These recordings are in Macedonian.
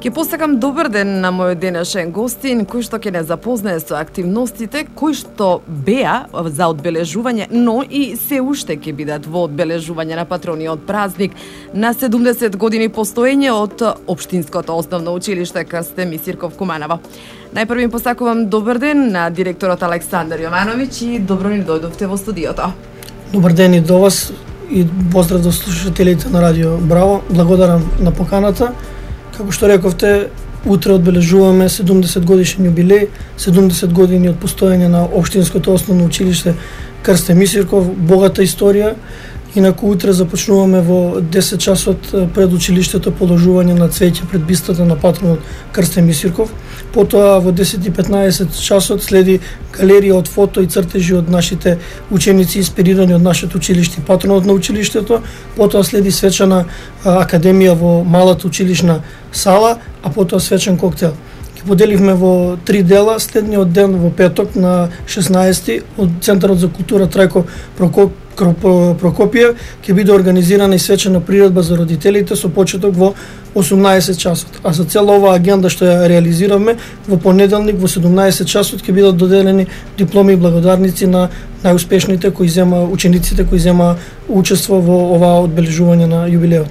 Ке посакам добар ден на мојот денешен гостин, кој што ќе не запознае со активностите кои што беа за одбележување, но и се уште ќе бидат во одбележување на патрониот празник на 70 години постоење од Општинското основно училиште Крсте Мисирков Куманово. Најпрво им посакувам добар ден на директорот Александар Јовановиќ и добро ни дојдовте во студиото. Добар ден и до вас и поздрав до слушателите на Радио Браво. Благодарам на поканата. Како што рековте, утре одбележуваме 70 годишен јубилеј, 70 години од постоење на Општинското основно училиште Крсте Мисирков, богата историја. Инаку утре започнуваме во 10 часот пред училиштето положување на цвеќе пред бистата на патронот Крсте Мисирков. Потоа во 10:15 часот следи галерија од фото и цртежи од нашите ученици инспирирани од нашето училиште, патронот на училиштето. Потоа следи свечана академија во малата училишна сала, а потоа свечен коктел. Ги поделивме во 3 дела. Следниот ден во петок на 16 од Центарот за култура Трајко Прокопиев ќе биде организирана и свечена приредба за родителите со почеток во 18 часот. А за цела оваа агенда што ја реализиравме, во понеделник во 17 часот ќе бидат доделени дипломи и благодарници на најуспешните учениците кои зема учество во оваа одбележување на јубилеот.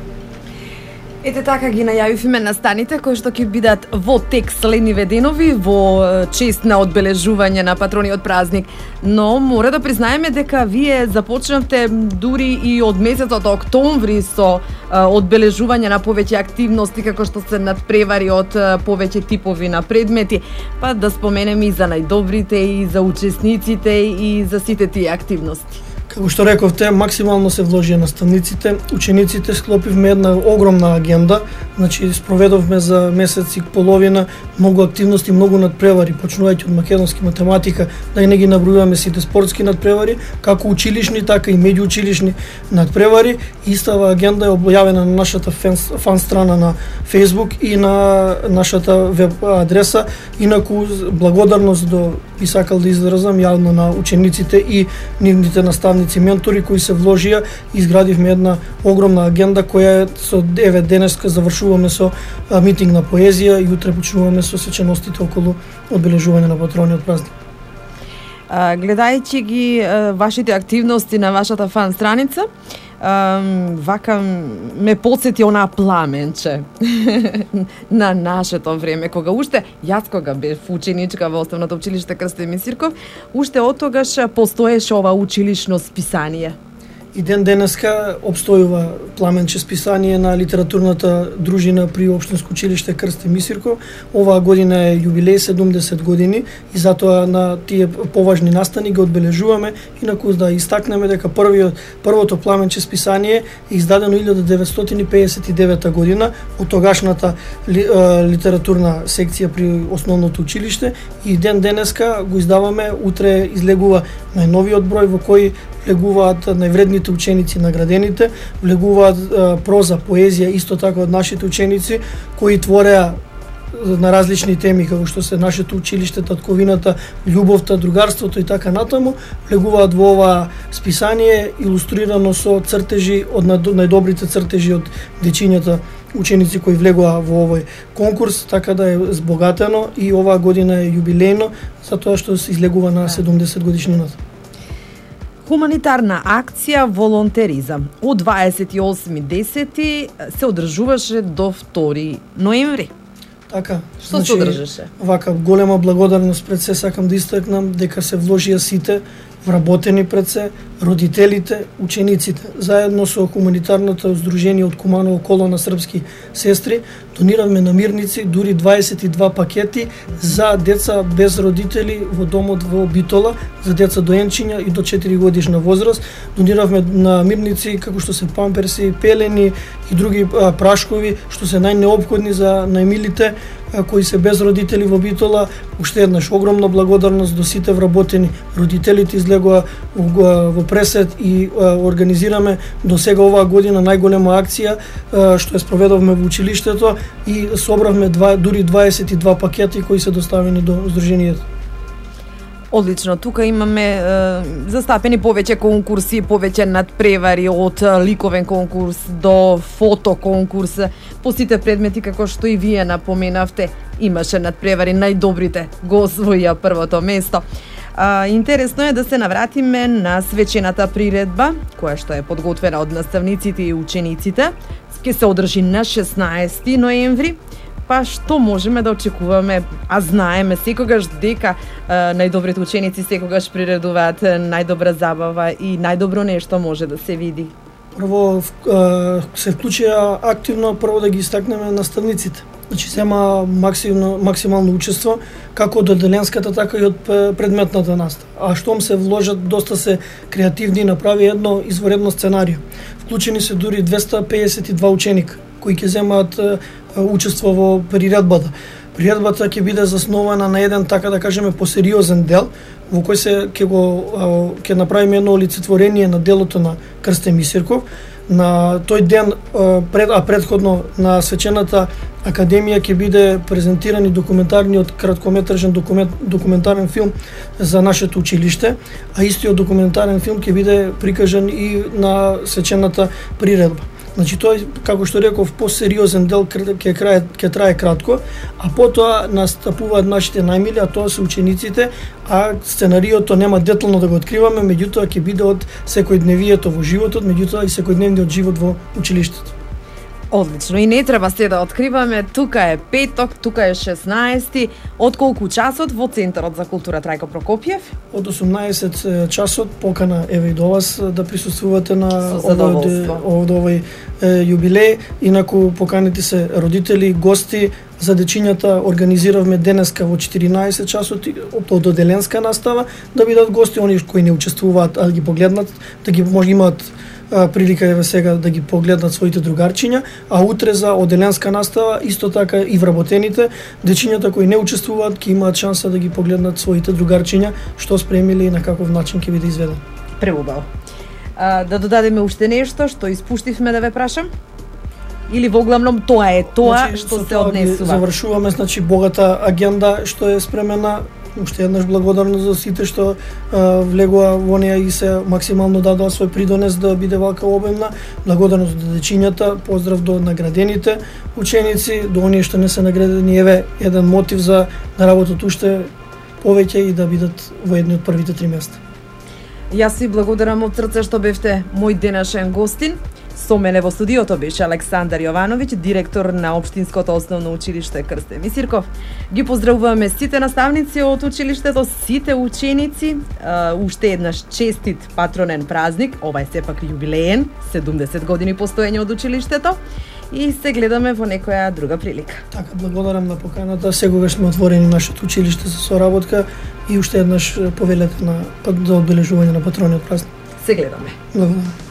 Ете така ги најавивме настаните кои што ќе бидат во тек следниве денови во чест на одбележување на патрониот празник. Но мора да признаеме дека вие започнавте дури и од месецот октомври со одбележување на повеќе активности како што се надпревари од повеќе типови на предмети, па да споменеме и за најдобрите и за учесниците и за сите тие активности. Како што рековте, максимално се вложија наставниците, учениците, склопивме една огромна агенда, значи спроведовме за месец и половина многу активности, многу надпревари, почнувајќи од македонски математика, да и не ги набројуваме сите спортски надпревари, како училишни, така и меѓуучилишни надпревари. Истава агенда е објавена на нашата фан страна на Facebook и на нашата веб адреса. Инаку благодарност би сакал да изразам јавно на учениците и нивните наставници, ментори кои се вложија и изградивме една огромна агенда која со 9 денеска завршуваме со митинг на поезија и утре почнуваме со свеченостите околу одбележување на патрониот празник. Гледајќи ги вашите активности на вашата фан страница, вака ме подсети онаа пламенче на нашето време, кога уште, јас кога бев ученичка во Основното училиште Крсте Мисирков, уште од тогаш постоеше ова училишно списание. И ден денеска обстојува пламенче списание на литературната дружина при Општинско училиште Крсте Мисирков. Оваа година е јубилеј 70 години и затоа на тие поважни настани ги одбележуваме. Инаку да истакнеме дека првото пламенче списание е издадено 1959 година од тогашната литературна секција при Основното училиште и ден денеска го издаваме. Утре излегува најновиот број во кој влегуваат највредните ученици наградените, влегуваат проза, поезија исто така од нашите ученици кои твореа на различни теми како што се нашето училиште, татковината, љубовта, другарството и така натаму, влегуваат во ова списание илустрирано со цртежи од најдобрите цртежи од дечињата ученици кои влегоа во овој конкурс, така да е збогатено и оваа година е јубилејно затоа што се излегува на 70 годишнината. Хуманитарна акција волонтеризам од 28.10. се одржуваше до 2 ноември. Така. Што се одржаше? Вака голема благодарност пред се сакам да истакнам дека се вложија сите вработени пред се, родителите, учениците, заедно со хуманитарното здружение од Куманово колона српски сестри, дониравме намирници, дури 22 пакети за деца без родители во домот во Битола, за деца доенчиња и до 4 годишна возраст. Дониравме намирници како што се памперси, пелени и други прашкови, што се најнеопходни за најмилите кои се без родители во Битола. Уште еднаш огромна благодарност до сите вработени. Родителите излегоа во пресет и организираме до сега оваа година најголема акција што ја спроведовме во училиштето и собравме дури 22 пакети кои се доставени до здруженијето. Одлично, тука имаме застапени повеќе конкурси, повеќе надпревари од ликовен конкурс до фото конкурс. По сите предмети, како што и вие напоменавте, имаше надпревари, најдобрите го освоија првото место. Интересно е да се навратиме на свечената приредба, која што е подготвена од наставниците и учениците. Ке се одржи на 16 ноември. Па што можеме да очекуваме, а знаеме секогаш дека најдобрите ученици секогаш приредуваат најдобра забава и најдобро нешто може да се види. Прво се вклучија активно, прво да ги истакнеме наставниците. Значи сема максимално учество како од одделенската, така и од предметната настава. А штом се вложат, доста се креативни и направи едно изворедно сценарио. Вклучени се дури 252 ученика кои ќе земаат учество во приредбата. Приредбата ќе биде заснована на еден, така да кажеме, посериозен дел, во кој се ќе направиме едно олицетворение на делото на Крстен Мисирков. На тој ден, предходно на свечената академија ќе биде презентиран и документарниот краткометражен документарен филм за нашето училиште, а истиот документарен филм ќе биде прикажан и на свечената приредба. Значи тој, како што реков, посериозен дел ќе трае кратко, а потоа настапуваат нашите најмили, а тоа се учениците, а сценариото нема детално да го откриваме, меѓутоа ќе биде од секојдневието во животот, меѓутоа и секојдневниот живот во училиштето. Одлично, и не треба се да откриваме, тука е петок, тука е 16, од колку часот во Центарот за култура Трајко Прокопиев? Од 18 часот покана еве и до вас да присуствувате на овој јубилеј. Инаку поканите се родители, гости. За дечињата организиравме денеска во 14 часот од одделенска настава да бидат гости, они кои не учествуваат, а да ги погледнат, да ги може имаат прилика еве сега да ги погледнат своите другарчиња, а утре за одделенска настава исто така и вработените дечињата кои не учествуваат ќе имаат шанса да ги погледнат своите другарчиња што спремиле и на каков начин ќе биде изведен. Преубаво. Да додадеме уште нешто што испуштивме да ве прашам? Или во главном тоа е тоа, значи, што се однесува? Завршуваме, значи, богата агенда што е спремена. Уште еднаш благодарност за сите што влегува во неа и се максимално дадоа свој придонес да биде вака обемна. Благодарност до дечињата, поздрав до наградените ученици, до оние што не се наградени, еве еден мотив за да работат уште повеќе и да бидат во едни од првите 3 места. Јас ви благодарам од срце што бевте мој денешен гостин. Со мене во студиото беше Александар Јовановиќ, директор на Општинското основно училиште Крстен Мисирков. Ги поздравуваме сите наставници од училиштето, сите ученици. Уште еднаш честит патронен празник, ова е сепак јубилеен, 70 години постоење од училиштето. И се гледаме во некоја друга прилика. Така, благодарам на поканата. Сегогаш сме отворени нашето училиште за соработка и уште еднаш повелете на одбележување на патрониот празник. Се гледаме. Благодарам.